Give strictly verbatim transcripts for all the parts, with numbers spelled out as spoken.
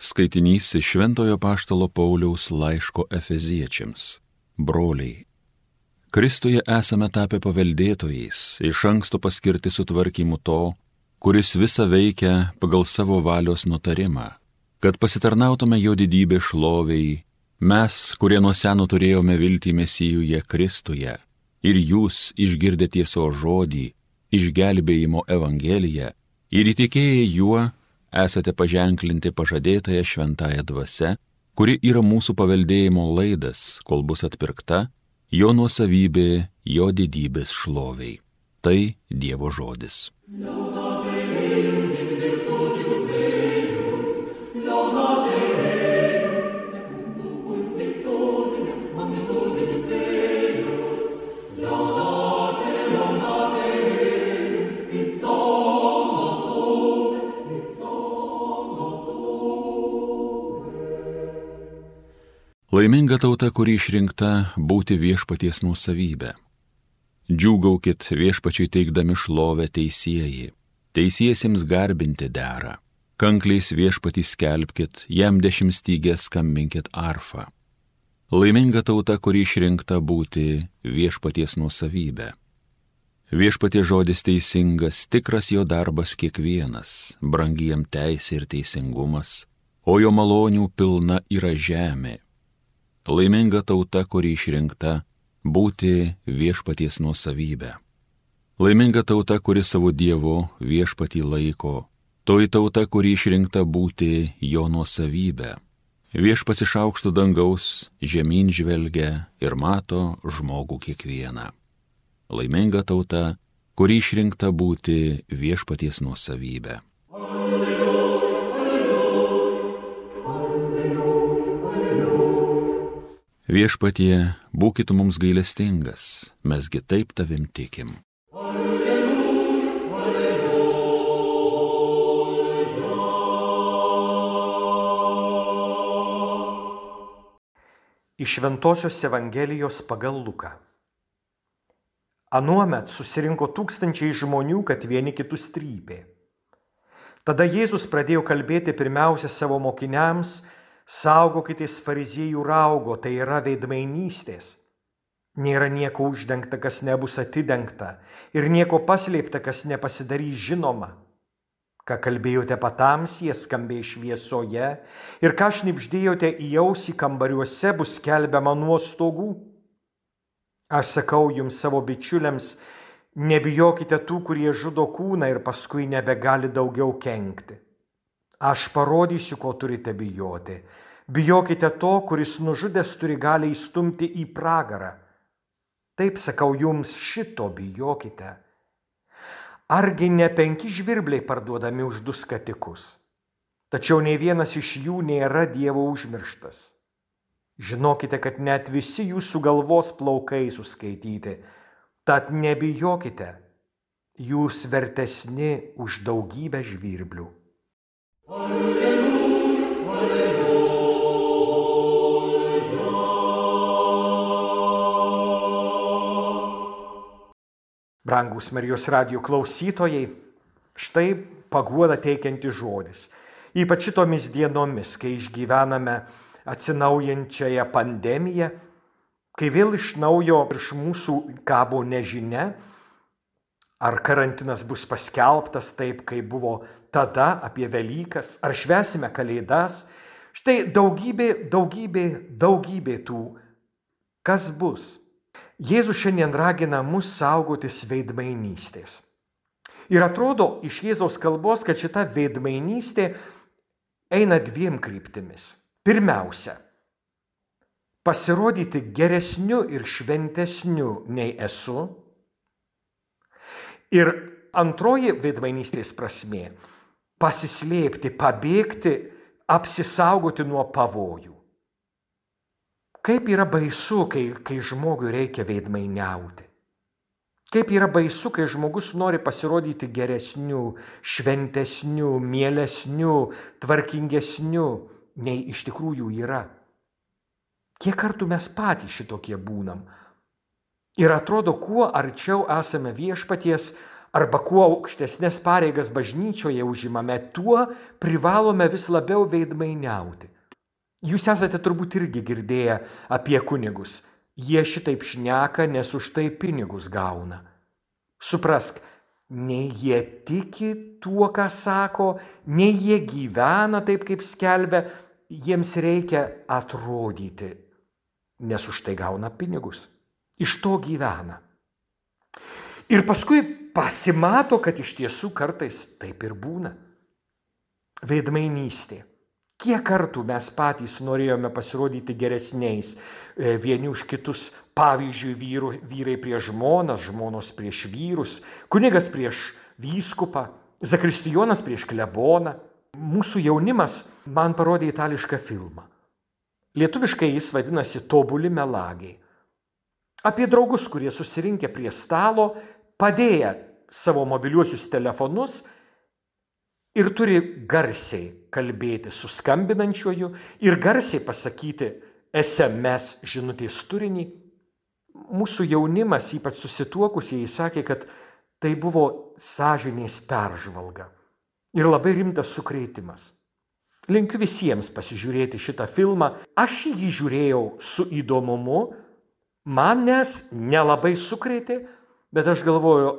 Skaitinys iš Šventojo Apaštalo Pauliaus laiško Efeziečiams. Broliai, Kristuje esame tapę paveldėtojais, iš anksto paskirti sutvarkymu to, kuris visą veikia pagal savo valios nutarimą, kad pasitarnautume jo didybė šloviai, mes, kurie nuo seno turėjome viltį Mesijuje Kristuje, ir jūs išgirdę tiesos žodį, išgelbėjimo evangeliją, ir įtikėję juo, esate paženklinti pažadėtąją šventąją dvasią, kuri yra mūsų paveldėjimo laidas, kol bus atpirkta, jo nuosavybė, jo didybės šloviai. Tai Dievo žodis. Laiminga tauta, kuri išrinkta būti viešpaties nuosavybė. Džiūgaukit viešpačiui teikdami šlovę teisieji, teisiesiems garbinti dera, kankliais viešpatį skelbkit, jam dešimtstygę skambinkit arfą. Laiminga tauta, kuri išrinkta būti viešpaties nuosavybė. Viešpaties žodis teisingas, tikras jo darbas kiekvienas, brangi jam teisė ir teisingumas, o jo malonių pilna yra žemė. Laiminga tauta, kuri išrinkta būti viešpaties nuosavybė. Laiminga tauta, kuri savo Dievu viešpatį laiko, toji tauta, kuri išrinkta būti jo nuosavybė. Viešpats iš aukšto dangaus žemyn žvelgia ir mato žmogų kiekvieną. Laiminga tauta, kuri išrinkta būti viešpaties nuosavybė. Viešpatie, būkit mums gailestingas, mesgi taip tavim tikim. Alleluja, alleluja. Iš Šventosios Evangelijos pagal Luką. Anuomet susirinko tūkstančiai žmonių, kad vieni kitus trypė. Tada Jėzus pradėjo kalbėti pirmiausia savo mokiniams: saugokitės fariziejų raugo, tai yra veidmainystės. Nėra nieko uždengta, kas nebus atidengta, ir nieko paslėpta, kas nepasidarys žinoma. Ką kalbėjote patamsyje, skambės šviesoje, ir ką šnibždėjote į ausį kambariuose, bus skelbiama nuo stogų. Aš sakau jums, savo bičiuliams, nebijokite tų, kurie žudo kūną ir paskui nebegali daugiau kenkti. Aš parodysiu, ko turite bijoti. Bijokite to, kuris nužudęs turi galią įstumti į pragarą. Taip sakau jums, šito bijokite. Argi ne penki žvirbliai parduodami už du skatikus? Tačiau nei vienas iš jų nėra Dievo užmirštas. Žinokite, kad net visi jūsų galvos plaukai suskaityti. Tad nebijokite, jūs vertesni už daugybę žvirblių. Alleluja, alleluja. Brangūs Marijos radijo klausytojai, štai paguoda teikiantis žodis. Ypač šitomis dienomis, kai išgyvename atsinaujančiąją pandemiją, kai vėl iš naujo virš mūsų kabo nežinia, ar karantinas bus paskelbtas taip, kaip buvo tada apie Velykas, ar švęsime Kalėdas. Štai daugybė, daugybė, daugybė tų, kas bus. Jėzus šiandien ragina mus saugotis veidmainystės. Ir atrodo iš Jėzaus kalbos, kad šita veidmainystė eina dviem kryptimis. Pirmiausia, pasirodyti geresniu ir šventesniu nei esu. Ir antroji veidmainystės prasmė – pasislėpti, pabėgti, apsisaugoti nuo pavojų. Kaip yra baisu, kai, kai žmogui reikia veidmainiauti. Kaip yra baisu, kai žmogus nori pasirodyti geresniu, šventesniu, mielesniu, tvarkingesniu, nei iš tikrųjų yra. Kiek kartų mes patys šitokie būnam? Ir atrodo, kuo arčiau esame viešpaties, arba kuo aukštesnės pareigas bažnyčioje užimame, tuo privalome vis labiau veidmainiauti. Jūs esate turbūt irgi girdėję apie kunigus. Jie šitaip šneka, nes už tai pinigus gauna. Suprask, nei jie tiki tuo, ką sako, nei jie gyvena taip, kaip skelbia, jiems reikia atrodyti, nes už tai gauna pinigus. Iš to gyvena. Ir paskui pasimato, kad iš tiesų kartais taip ir būna. Veidmainystė. Kiek kartų mes patys norėjome pasirodyti geresniais vieni už kitus, pavyzdžiui, vyru, vyrai prieš žmonas, žmonos prieš vyrus, kunigas prieš vyskupą, zakristijonas prieš kleboną. Mūsų jaunimas man parodė itališką filmą. Lietuviškai jis vadinasi Tobuli melagiai. Apie draugus, kurie susirinkę prie stalo, padėję savo mobiliuosius telefonus ir turi garsiai kalbėti su skambinančiuoju ir garsiai pasakyti es em es žinutės turinį. Mūsų jaunimas, ypač susituokusieji, sakė, kad tai buvo sąžinės peržvalga ir labai rimtas sukrėtimas. Linkiu visiems pasižiūrėti šitą filmą. Aš jį žiūrėjau su įdomumu, manęs nelabai sukrėtė, bet aš galvoju,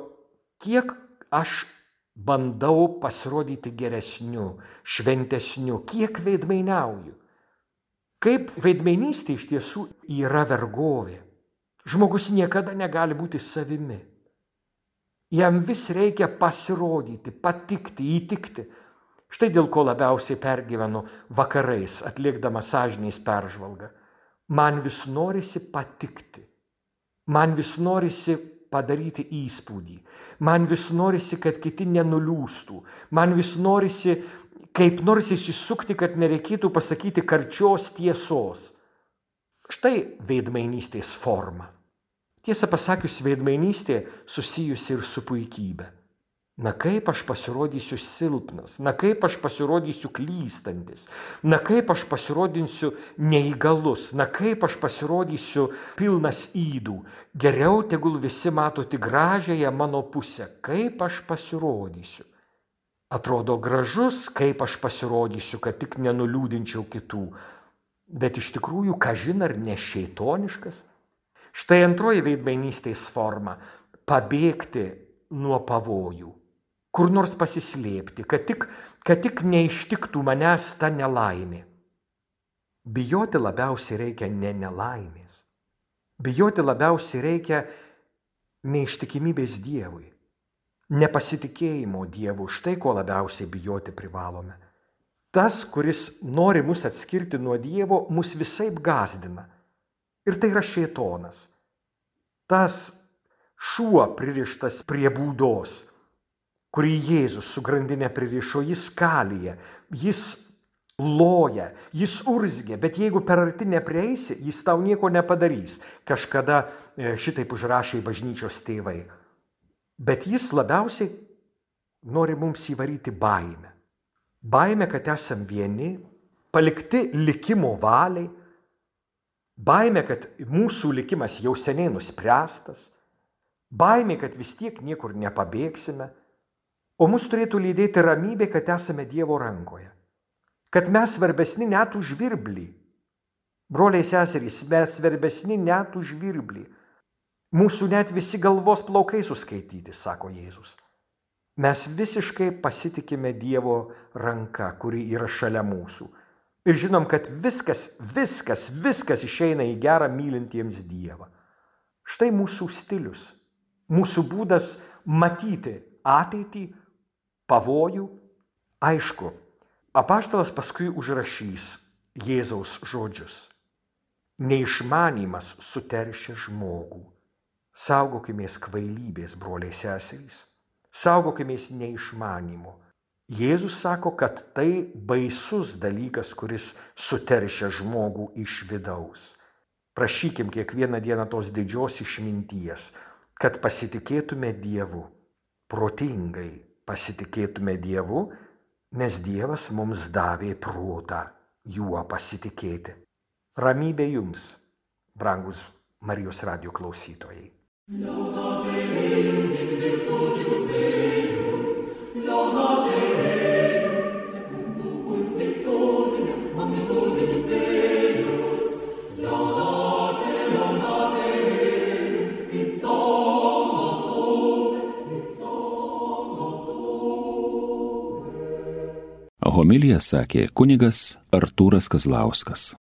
kiek aš bandau pasirodyti geresniu, šventesniu, kiek veidmainiauju. Kaip veidmainystė iš tiesų yra vergovė. Žmogus niekada negali būti savimi. Jam vis reikia pasirodyti, patikti, įtikti. Štai dėl ko labiausiai pergyvenu vakarais, atlikdama sąžinės peržvalgą. Man vis norisi patikti. Man vis norisi padaryti įspūdį. Man vis norisi, kad kiti nenuliūstų. Man vis norisi kaip nors išsisukti, kad nereikėtų pasakyti karčios tiesos. Štai veidmainystės forma. Tiesą pasakius, veidmainystė susijusi ir su puikybė. Na kaip aš pasirodysiu silpnas, na kaip aš pasirodysiu klystantis, na kaip aš pasirodysiu neįgalus, na kaip aš pasirodysiu pilnas ydų. Geriau tegul visi mato tik gražiąją mano pusę, kaip aš pasirodysiu. Atrodo gražus, kaip aš pasirodysiu, kad tik nenuliūdinčiau kitų. Bet iš tikrųjų, kažin ar ne šeitoniškas? Štai antroji veidmainystės forma – pabėgti nuo pavojų. Kur nors pasislėpti, kad tik, kad tik neištiktų manęs ta nelaimė. Bijoti labiausiai reikia ne nelaimės. Bijoti labiausiai reikia neištikimybės Dievui. Nepasitikėjimo Dievu, štai ko labiausiai bijoti privalome. Tas, kuris nori mus atskirti nuo Dievo, mus visaip gąsdina. Ir tai yra šėtonas. Tas šuo pririštas prie būdos, kurį Jėzus su grandine pririšo, jis kalyja, jis loja, jis urzgia, bet jeigu per arti neprieisi, jis tau nieko nepadarys. Kažkada šitaip užrašė bažnyčios tėvai. Bet jis labiausiai nori mums įvaryti baimę. Baimę, kad esam vieni, palikti likimo valiai. Baimė, kad mūsų likimas jau seniai nuspręstas. Baimė, kad vis tiek niekur nepabėgsime. O mus turėtų lydėti ramybė, kad esame Dievo rankoje. Kad mes svarbesni net už žvirblį. Broliai seserys, mes svarbesni net už žvirblį. Mūsų net visi galvos plaukai suskaityti, sako Jėzus. Mes visiškai pasitikime Dievo ranka, kuri yra šalia mūsų. Ir žinom, kad viskas, viskas, viskas išeina į gerą mylintiems Dievą. Štai mūsų stilius, mūsų būdas matyti ateitį, pavojų. Aišku, apaštalas paskui užrašys Jėzaus žodžius. Neišmanymas suteršia žmogų. Saugokimės kvailybės, broliai seserys. Saugokimės neišmanymo. Jėzus sako, kad tai baisus dalykas, kuris suteršia žmogų iš vidaus. Prašykim kiekvieną dieną tos didžios išminties, kad pasitikėtume Dievu, protingai pasitikėtume Dievu, nes Dievas mums davė protą juo pasitikėti. Ramybė jums, brangus Marijos radijo klausytojai. Homiliją sakė kunigas Artūras Kazlauskas.